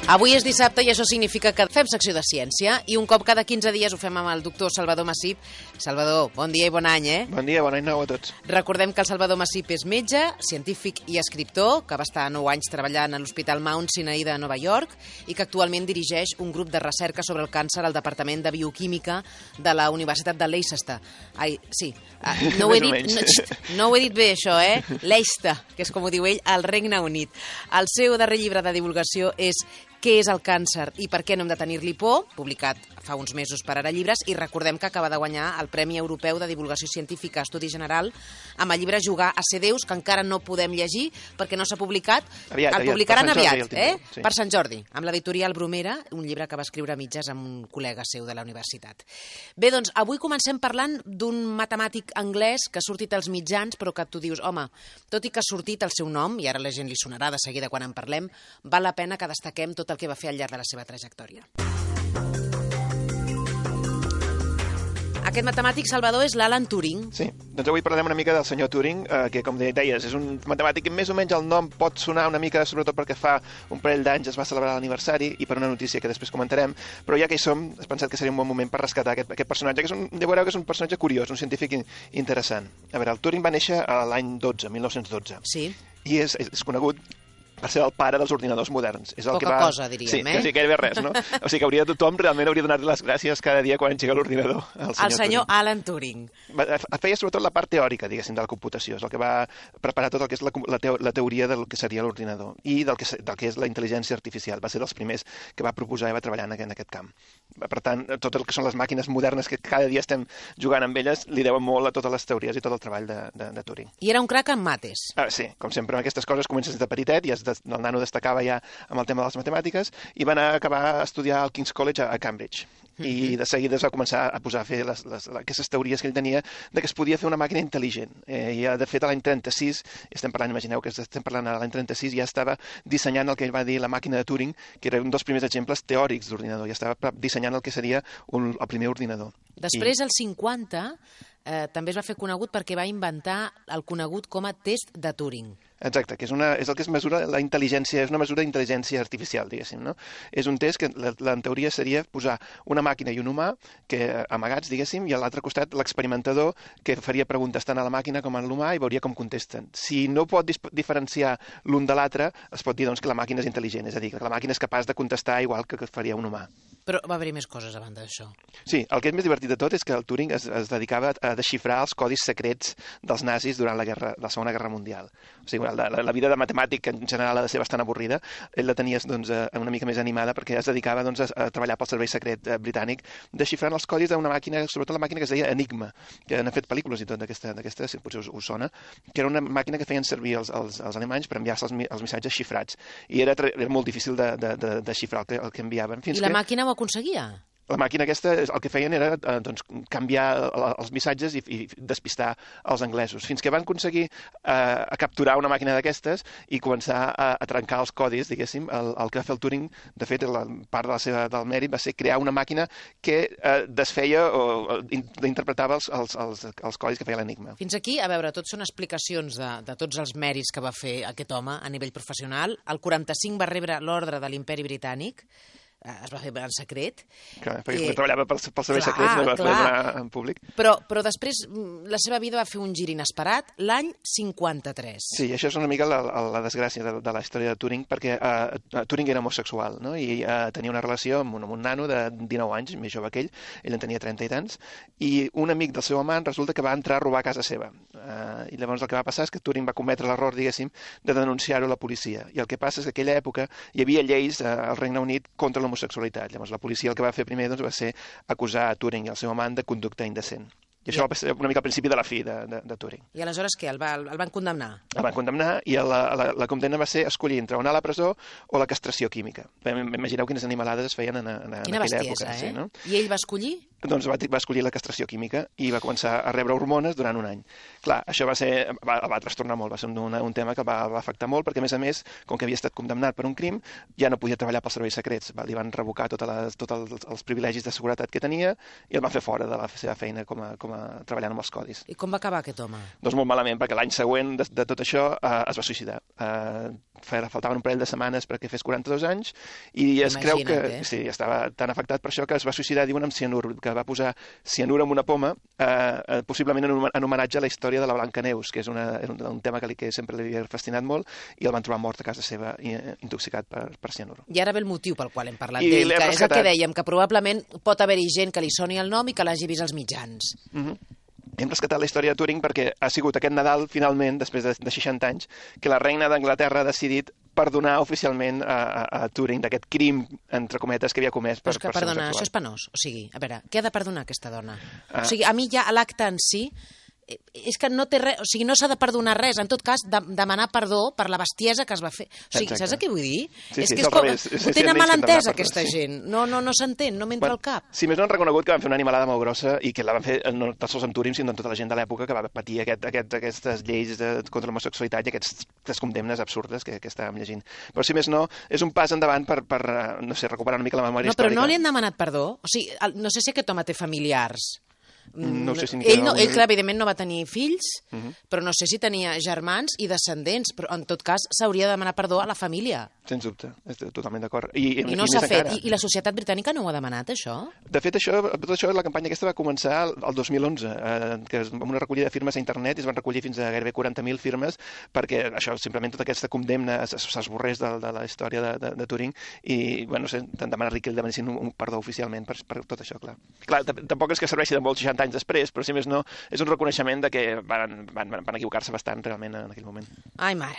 Avui és dissabte i això significa que fem secció de ciència i un cop cada 15 dies ho fem amb el doctor Salvador Massip. Salvador, bon dia i bon any, Bon dia, bon any nou a tots. Recordem que el Salvador Massip és metge, científic i escriptor, que va estar 9 anys treballant a l'Hospital Mount Sinai de Nova York i que actualment dirigeix un grup de recerca sobre el càncer al Departament de Bioquímica de la Universitat de Leicester. Ai, sí, no ho he dit bé això, Leicester, que és com ho diu ell, al Regne Unit. El seu darrer llibre de divulgació és Què és el càncer i per què no hem de tenir-li por?, publicat fa uns mesos per Ara Llibres, i recordem que acaba de guanyar el Premi Europeu de Divulgació Científica Estudi General amb el llibre Jugar a ser Déus, que encara no podem llegir perquè no s'ha publicat. Aviat, el publicaran aviat, sí. Per Sant Jordi, amb l'editorial Bromera, un llibre que va escriure a mitges amb un col·lega seu de la universitat. Bé, doncs, avui comencem parlant d'un matemàtic anglès que ha sortit als mitjans, però que tu dius, home, tot i que ha sortit el seu nom, i ara la gent li sonarà de seguida quan en parlem, val la pena que destaquem tot el que va fer al llarg de la seva trajectòria. Aquest matemàtic, Salvador, és l'Alan Turing. Sí, doncs avui parlarem una mica del senyor Turing, que, com deies, és un matemàtic que més o menys el nom pot sonar una mica, sobretot perquè fa un parell d'anys es va celebrar l'aniversari i per una notícia que després comentarem, però ja que hi som, he pensat que seria un bon moment per rescatar aquest personatge, que veureu que és un personatge curiós, un científic interessant. A veure, el Turing va néixer l'any 1912. Sí. I és conegut per ser el pare dels ordinadors moderns. És el Poca que va... cosa, diríem, sí, quasi gairebé res, no? O sigui que tothom realment hauria de donar-li les gràcies cada dia quan engega l'ordinador al senyor Alan Turing. Feia sobretot la part teòrica, diguéssim, de la computació. És el que va preparar tot el que és la teoria del que seria l'ordinador i del que és la intel·ligència artificial. Va ser dels primers que va proposar i va treballar en aquest camp. Per tant, tot el que són les màquines modernes que cada dia estem jugant amb elles li deuen molt a totes les teories i tot el treball de Turing. I era un crac en mates. Sí, com sempre, amb aquestes coses comences de petitet i el nano destacava ja amb el tema de les matemàtiques i va anar a acabar a estudiar al King's College a Cambridge. I de seguida es va començar a posar a fer aquestes teories que ell tenia de que es podia fer una màquina intel·ligent. I de fet, a l'any 36, imagineu que estem parlant a l'any 36, ja estava dissenyant el que ell va dir la màquina de Turing, que era un dels primers exemples teòrics d'ordinador, ja estava dissenyant el que seria el primer ordinador. Després, als 50, també es va fer conegut perquè va inventar el conegut com a test de Turing. Exacte, que és el que es mesura la intel·ligència, és una mesura d'intel·ligència artificial, diguéssim, no? És un test que en teoria seria posar una màquina i un humà amagats, diguéssim, i a l'altre costat l'experimentador que faria preguntes tant a la màquina com a l'humà i veuria com contesten. Si no pot diferenciar l'un de l'altre, es pot dir doncs, que la màquina és intel·ligent, és a dir, que la màquina és capaç de contestar igual que faria un humà. Però va haver-hi més coses a banda d'això. Sí, el que és més divertit de tot és que el Turing es dedicava a desxifrar els codis secrets dels nazis durant la Segona Guerra Mundial. O sigui, la vida de matemàtic en general ha de ser bastant avorrida. Ell la tenia una mica més animada perquè es dedicava a treballar pel servei secret britànic desxifrant els codis d'una màquina, sobretot la màquina que es deia Enigma, que han fet pel·lícules i tot d'aquesta, si potser us sona, que era una màquina que feien servir els alemanys per enviar-se els missatges xifrats. I era molt difícil de desxifrar el que enviaven. I la màquina ho aconseguia? La màquina aquesta, el que feien era canviar els missatges i despistar els anglesos, fins que van aconseguir capturar una màquina d'aquestes i començar a trencar els codis, diguéssim. El que va fer el Turing, de fet, part del mèrit va ser crear una màquina que desfeia o interpretava els codis que feia l'enigma. Fins aquí, a veure, tot són explicacions de tots els mèrits que va fer aquest home a nivell professional. El 45 va rebre l'ordre de l'Imperi Britànic, es va fer en secret. Clar, perquè treballava pel servei secret, no va fer donar en públic. Però després la seva vida va fer un gir inesperat l'any 53. Sí, això és una mica la desgràcia de la història de Turing, perquè Turing era homosexual, no? I tenia una relació amb un nano de 19 anys, més jove que ell en tenia 30 i tants, i un amic del seu amant resulta que va entrar a robar a casa seva. I llavors el que va passar és que Turing va cometre l'error, diguéssim, de denunciar-ho a la policia. I el que passa és que en aquella època hi havia lleis al Regne Unit contra l'homosexualitat. Llavors la policia el que va fer primer va ser acusar a Turing i el seu amant de conducta indecent. I això va ser una mica al principi de la fi de Turing. I aleshores què? El van condemnar? El van condemnar i la condemna va ser escollir entre o anar a la presó o la castració química. Imagineu quines animalades es feien en aquella època. Quina bestiesa, sí, no? I ell va escollir? doncs va escollir la castració química i va començar a rebre hormones durant un any. Clar, això va trastornar molt, va ser un tema que va afectar molt, perquè a més, com que havia estat condemnat per un crim, ja no podia treballar pels serveis secrets. Li van revocar tots els privilegis de seguretat que tenia i el van fer fora de la seva feina treballant amb els codis. I com va acabar aquest home? Doncs molt malament, perquè l'any següent de tot això es va suïcidar. Faltaven un parell de setmanes perquè fes 42 anys i es creu que sí, estava tan afectat per això que es va suïcidar, diuen, amb cianur, que va posar cianur en una poma, possiblement en homenatge a la història de la Blancaneus, que és un tema que sempre li havia fascinat molt, i el van trobar mort a casa seva intoxicat per cianur. I ara ve el motiu pel qual hem parlat d'ell, que és el que dèiem, que probablement pot haver-hi gent que li soni el nom i que l'hagi vist als mitjans. Hem rescatat la història de Turing perquè ha sigut aquest Nadal, finalment, després de 60 anys, que la reina d'Anglaterra ha decidit perdonar oficialment a Turing d'aquest crim, entre cometes, que havia comès per ser Perdona, sexual. això és penós. O sigui, a veure, què ha de perdonar aquesta dona? O sigui, a mi ja l'acte en si és que no té res, o sigui, no s'ha de perdonar res, en tot cas, demanar perdó per la bestiesa que es va fer. O sigui, saps què vull dir? Sí, és que és és com, ho tenen mal entès, aquesta gent. No s'entén, no m'entra al cap. Si més no han reconegut que van fer una animalada molt grossa i que la van fer no tan sols amb Turing, sinó amb tota la gent de l'època que va patir aquestes lleis contra l'homosexualitat i aquestes condemnes absurdes que estàvem llegint. Però si més no, és un pas endavant per no sé, recuperar una mica la memòria històrica. No, però no li han demanat perdó? O sigui, no sé si aquest home té familiars. No sé si ell, clar, evidentment no va tenir fills, però no sé si tenia germans i descendents, però en tot cas s'hauria de demanar perdó a la família. Sens dubte, estic totalment d'acord. I no s'ha fet. I la societat britànica no ho ha demanat, això? De fet, tot això, la campanya aquesta va començar el 2011, amb una recollida de firmes a internet, i es van recollir fins a gairebé 40.000 firmes perquè això, simplement tota aquesta condemna s'esborrés de la història de Turing i, bueno, no sé, tant demanar-li que ell demanessin un perdó oficialment per tot això, clar. Clar, tampoc és que serveixi de molts 60 anys després, però si més no, és un reconeixement de que van equivocar-se bastant realment en aquell moment. Ai, mare,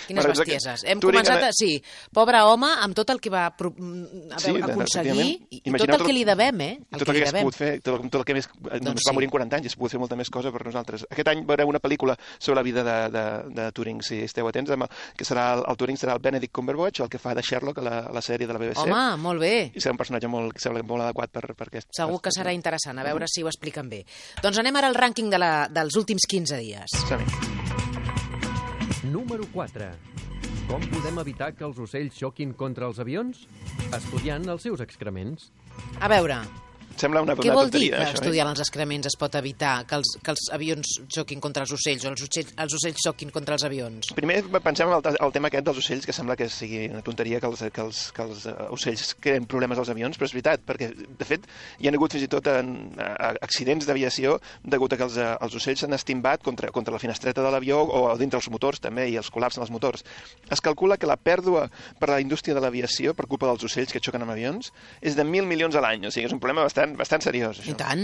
quines bestieses. Hem començat sí, pobre home, amb tot el que va aconseguir i tot el que li devem, Tot el que es pogut fer, tot el que més... Només va morir en 40 anys i es pogut fer molta més cosa per nosaltres. Aquest any veurem una pel·lícula sobre la vida de Turing, si esteu atents, que serà el Turing serà el Benedict Cumberbatch, el que fa de Sherlock a la sèrie de la BBC. Home, molt bé. I serà un personatge que sembla molt adequat per aquest... Segur que serà interessant, a veure si ho expliquen bé. Doncs anem ara al rànquing dels últims 15 dies. Número 4. Com podem evitar que els ocells xoquin contra els avions? Estudiant els seus excrements. A veure, sembla una què vol dir tonteria, que això, estudiant els excrements es pot evitar que els avions xoquin contra els ocells o els ocells xoquin contra els avions? Primer pensem en el tema aquest dels ocells, que sembla que sigui una tonteria que els ocells creen problemes als avions, però és veritat, perquè de fet hi ha hagut fins i tot accidents d'aviació degut a que els ocells s'han estimbat contra la finestreta de l'avió o dintre els motors també, i els col·lapsen els motors. Es calcula que la pèrdua per a la indústria de l'aviació per culpa dels ocells que xoquen amb avions és de 1.000 milions a l'any, o sigui, és un problema bastant seriós, això. I tant.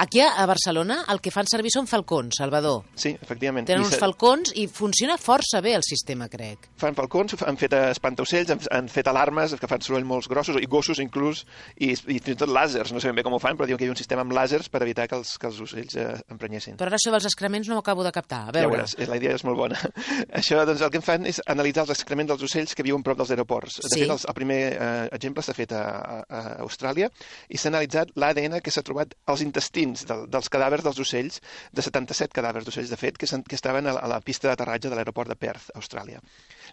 Aquí a Barcelona el que fan servir són falcons, Salvador. Sí, efectivament. Tenen uns falcons i funciona força bé el sistema, crec. Fan falcons, han fet espantaocells, han fet alarmes que fan soroll molts grossos, i gossos inclús, i fins i tot làsers, no sé ben bé com ho fan, però diuen que hi ha un sistema amb làsers per evitar que els ocells emprenyessin. Però ara això dels excrements no ho acabo de captar. A veure. Ja veuràs, la idea és molt bona. Això, doncs, el que fan és analitzar els excrements dels ocells que viuen prop dels aeroports. De fet, el primer exemple s'ha fet a Austràlia i s'ha analitzat l'ADN que s'ha trobat als intestins dels cadàvers dels ocells, de 77 cadàvers d'ocells, de fet, que estaven a la pista d'aterratge de l'aeroport de Perth, Austràlia.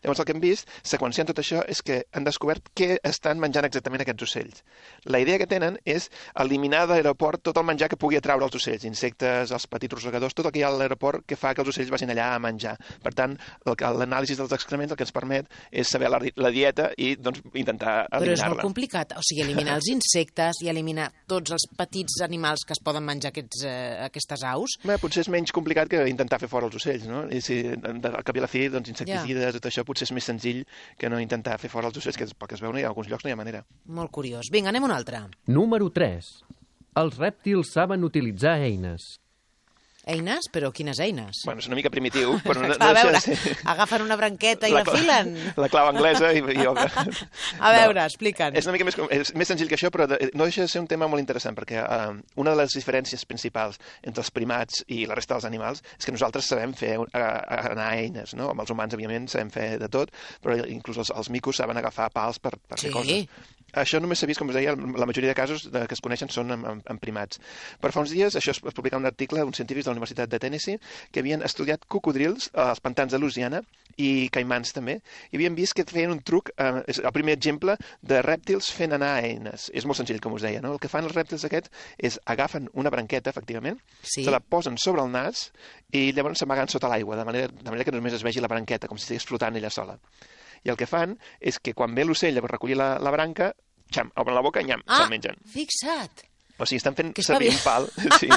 Llavors, el que hem vist, seqüenciant tot això, és que han descobert què estan menjant exactament aquests ocells. La idea que tenen és eliminar de l'aeroport tot el menjar que pugui atraure els ocells, insectes, els petits rosegadors, tot el que hi ha a l'aeroport que fa que els ocells vagin allà a menjar. Per tant, l'anàlisi dels excrements el que ens permet és saber la dieta i doncs, intentar eliminar-la. Però és molt complicat, o sigui, eliminar els insectes i eliminar tots els petits animals que es poden menjar aquestes aus. Bé, potser és menys complicat que intentar fer fora els ocells, no? I si al cap i a la fi, doncs, insecticides, tot això potser és més senzill que no intentar fer fora els ocells, que pel que es veu, en alguns llocs no hi ha manera. Molt curiós. Vinga, anem a un altre. Número 3. Els rèptils saben utilitzar eines. Eines? Però quines eines? Bueno, és una mica primitiu, però no a veure, agafen una branqueta i la filen. La clau anglesa i A veure, explica'ns. És una mica més senzill que això, però no deixa de ser un tema molt interessant, perquè una de les diferències principals entre els primats i la resta dels animals és que nosaltres sabem fer anar eines, no? Amb els humans, òbviament, sabem fer de tot, però inclús els micos saben agafar pals per fer coses. Això només s'ha vist, com us deia, la majoria de casos que es coneixen són en primats. Però fa uns dies això es publicava un article d'uns científics de la Universitat de Tennessee que havien estudiat cocodrils als pantans de Louisiana i caimans també, i havien vist que feien un truc, és el primer exemple de rèptils fent anar eines. És molt senzill, com us deia, no? El que fan els rèptils aquests és agafen una branqueta, efectivament, se la posen sobre el nas i llavors s'amaguen sota l'aigua, de manera que només es vegi la branqueta, com si estigués flotant ella sola. I el que fan és que quan ve l'ocell a recollir la branca, xam, obren la boca i nyam, se'l mengen. Fixa't! O sigui, estan fent servir un pal. Sí.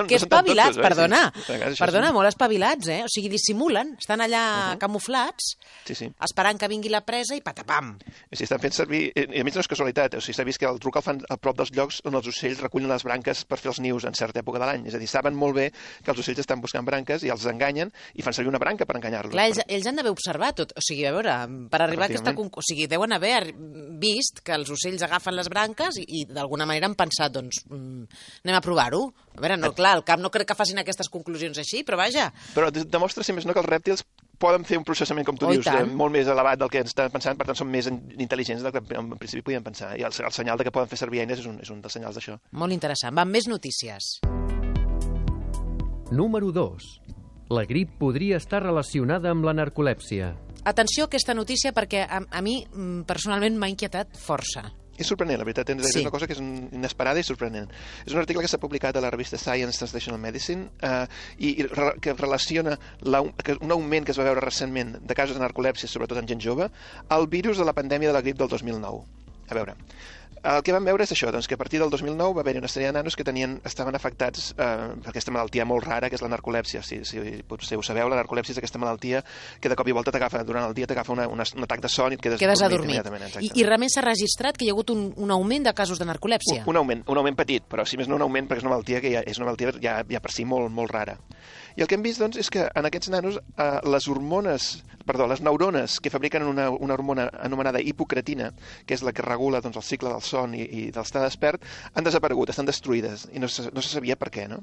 Que espavilats, perdona. Sí. Perdona, molt espavilats, eh? O sigui, dissimulen, estan allà camuflats, esperant que vingui la presa i patapam. Sí, estan fent servir... I a més no és casualitat, o sigui, s'ha vist que el truc el fan a prop dels llocs on els ocells recullen les branques per fer els nius en certa època de l'any. És a dir, saben molt bé que els ocells estan buscant branques i els enganyen i fan servir una branca per enganyar-los. Clar, ells han d'haver observat tot. O sigui, a veure, per arribar a aquesta... O sigui, deuen haver vist que els ocells agafen les branques i d'alguna manera han pensat, doncs... anem a provar-ho. A veure, no, clar, al cap no crec que facin aquestes conclusions així, però vaja. Però demostra, si més no, que els rèptils poden fer un processament, com tu dius, molt més elevat del que ens estan pensant, per tant són més intel·ligents del que en principi podien pensar. I el senyal de que poden fer servir eines és un dels senyals d'això. Molt interessant. Van més notícies. Número 2. La grip podria estar relacionada amb la narcolèpsia. Atenció a aquesta notícia perquè a mi personalment m'ha inquietat força. És sorprenent, la veritat, és una cosa que és inesperada i sorprenent. És un article que s'ha publicat a la revista Science Translational Medicine i que relaciona un augment que es va veure recentment de casos de narcolèpsia, sobretot en gent jove, al virus de la pandèmia de la grip del 2009. A veure, el que vam veure és això, doncs, que a partir del 2009 va haver-hi una sèrie de nanos que estaven afectats per aquesta malaltia molt rara, que és la narcolèpsia. Si potser ho sabeu, la narcolèpsia és aquesta malaltia que de cop i volta t'agafa, durant el dia t'agafa un atac de son i et quedes adormit. I realment s'ha registrat que hi ha hagut un augment de casos de narcolèpsia? Un augment petit, però si més no un augment perquè és una malaltia que és una malaltia ja per si molt, molt rara. I el que hem vist, doncs, és que en aquests nanos les neurones que fabriquen una hormona anomenada hipocretina, que és la que regula el cicle del son i del estar despert, han desaparegut, estan destruïdes, i no se sabia per què, no?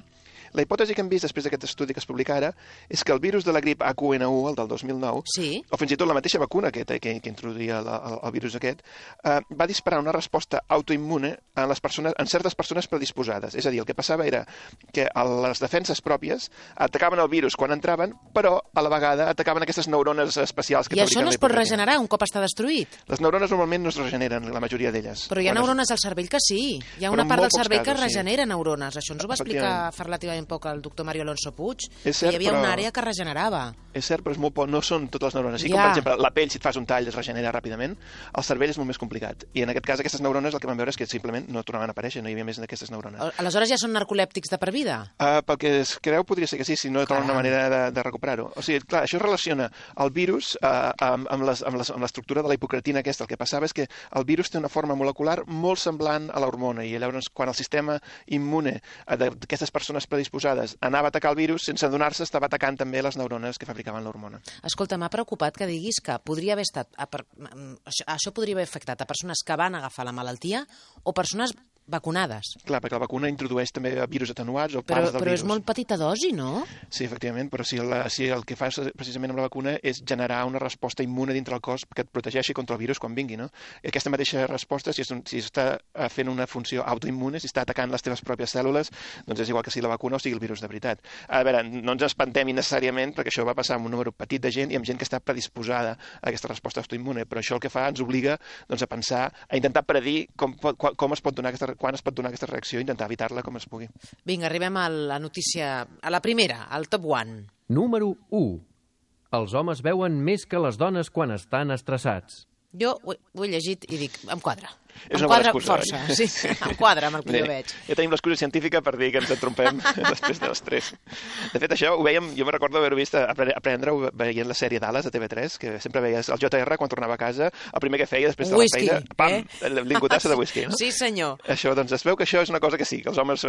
La hipòtesi que hem vist després d'aquest estudi que es publica ara és que el virus de la grip H1N1, el del 2009, o fins i tot la mateixa vacuna que introduïa el virus aquest, va disparar una resposta autoimmune en certes persones predisposades. És a dir, el que passava era que les defenses pròpies atacaven el virus quan entraven, però a la vegada atacaven aquestes neurones especials que fabriquen. I això no es pot regenerar un cop està destruït? Les neurones normalment no es regeneren, la majoria d'elles. Però hi ha neurones al cervell que sí. Hi ha una part del cervell que regenera neurones. Això ens ho va explicar fa relativament poc el doctor Mario Alonso Puig, que hi havia una àrea que regenerava. És cert, però és molt poc, no són totes les neurones. Així com, per exemple, la pell, si et fas un tall, es regenera ràpidament, el cervell és molt més complicat. I en aquest cas, aquestes neurones el que vam veure és que simplement no tornaven a aparèixer, no hi havia més d'aquestes neurones. Aleshores ja són narcolèptics de per vida? Pel que es creu, podria ser que sí, si no troben una manera de recuperar-ho. O sigui, clar, això relaciona el virus amb l'estructura de la hipocretina aquesta. El que passava és que el virus té una forma molecular molt semblant a l'hormona, i llavors quan el sistema immune d'aquestes persones predisposades anava a atacar el virus, sense adonar-se estava atacant també les neurones que fabricaven l'hormona. Escolta, m'ha preocupat que diguis que podria haver estat... Això podria haver afectat a persones que van agafar la malaltia o persones vacunades. Clar, perquè la vacuna introdueix també virus atenuats o parts del virus. Però és molt petita dosi, no? Sí, efectivament, però si el que fas precisament amb la vacuna és generar una resposta immune dintre el cos que et protegeixi contra el virus quan vingui, no? I aquesta mateixa resposta, si està fent una funció autoimmune, si està atacant les teves pròpies cèl·lules, doncs és igual que si la vacuna o sigui el virus de veritat. A veure, no ens espantem innecessàriament, perquè això va passar amb un número petit de gent i amb gent que està predisposada a aquesta resposta autoimmune, però això el que fa ens obliga doncs, a pensar, a intentar predir com es pot donar quan es pot donar aquesta reacció i intentar evitar-la com es pugui. Vinga, arribem a la notícia, a la primera, al top 1. Número 1. Els homes veuen més que les dones quan estan estressats. Jo ho he llegit i dic, em quadra. És em quadra força, sí, em quadra amb el que jo veig. Ja tenim l'excusa científica per dir que ens entrompem després de l'estrès. De fet, això ho vèiem, jo me recordo haver-ho vist aprendre-ho veient la sèrie Dallas a TV3, que sempre veies el JR quan tornava a casa, el primer que feia després de la feina, pam, l'ingotassa de whisky, no? Sí, senyor. Això, doncs, es veu que això és una cosa que sí, que els homes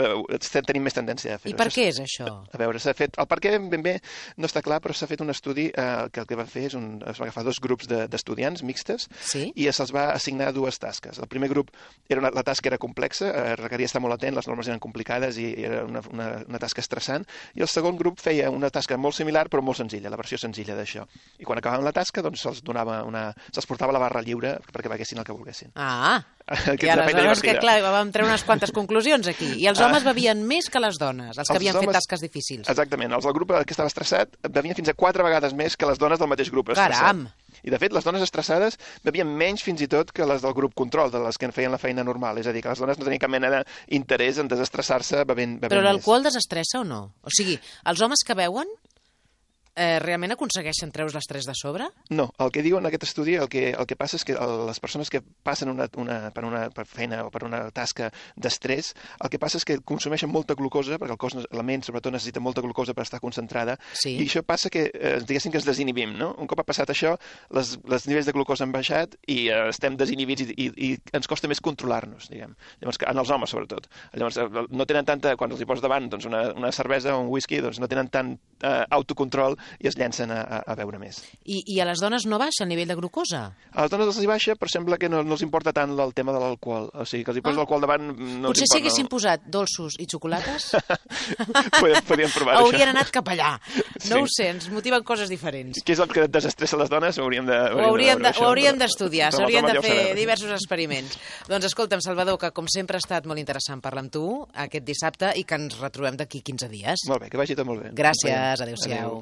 tenim més tendència a fer-ho. I per què és això? A veure, s'ha fet... El per què ben bé no està clar, però s'ha fet un estudi que el que va fer és es va agafar 2 grups d'estudiants mixtes i se'ls va assignar 2 tasques. El primer grup la tasca era complexa, requeria estar molt atent, les normes eren complicades i era una tasca estressant, i el segon grup feia una tasca molt similar però molt senzilla, la versió senzilla d'això. I quan acabaven la tasca doncs se'ls portava la barra lliure perquè veiessin el que volguessin. I aleshores que, clar, vam treure unes quantes conclusions aquí. I els homes bevien més que les dones, els que havien fet tasques difícils. Exactament, els del grup que estava estressat bevien fins a 4 vegades més que les dones del mateix grup estressat. Caram! I, de fet, les dones estressades bevien menys fins i tot que les del grup control, de les que en feien la feina normal. És a dir, que les dones no tenien cap mena d'interès en desestressar-se bevent més. Però l'alcohol desestressa o no? O sigui, els homes que beuen realment aconsegueixen treure's l'estrès de sobre? No, el que diuen en aquest estudi, el que passa és que les persones que passen per feina o per una tasca d'estrès, el que passa és que consumeixen molta glucosa, perquè el cos, la ment sobretot necessita molta glucosa per estar concentrada, i això passa que, diguéssim que ens desinhibim, no? Un cop ha passat això, els nivells de glucosa han baixat i estem desinhibits i ens costa més controlar-nos, diguem. Llavors, en els homes, sobretot. Llavors, no tenen tanta, quan els hi poses davant doncs, una cervesa o un whisky, doncs no tenen tant autocontrol i es llencen a beure més. I a les dones no baixa el nivell de glucosa? A les dones els hi baixa, però sembla que no els importa tant el tema de l'alcohol. O sigui, que els hi posa l'alcohol davant no els importa. Potser si haguessin posat dolços i xocolates podríem provar això. Haurien anat cap allà. No ho sé, ens motiven coses diferents. Què és el que desestressa les dones? Ho hauríem d'estudiar, s'haurien de fer diversos experiments. Doncs escolta'm, Salvador, que com sempre ha estat molt interessant parlar amb tu aquest dissabte i que ens retrobem d'aquí 15 dies. Molt bé, que vagi tot molt bé. Gràcies, adéu-siau.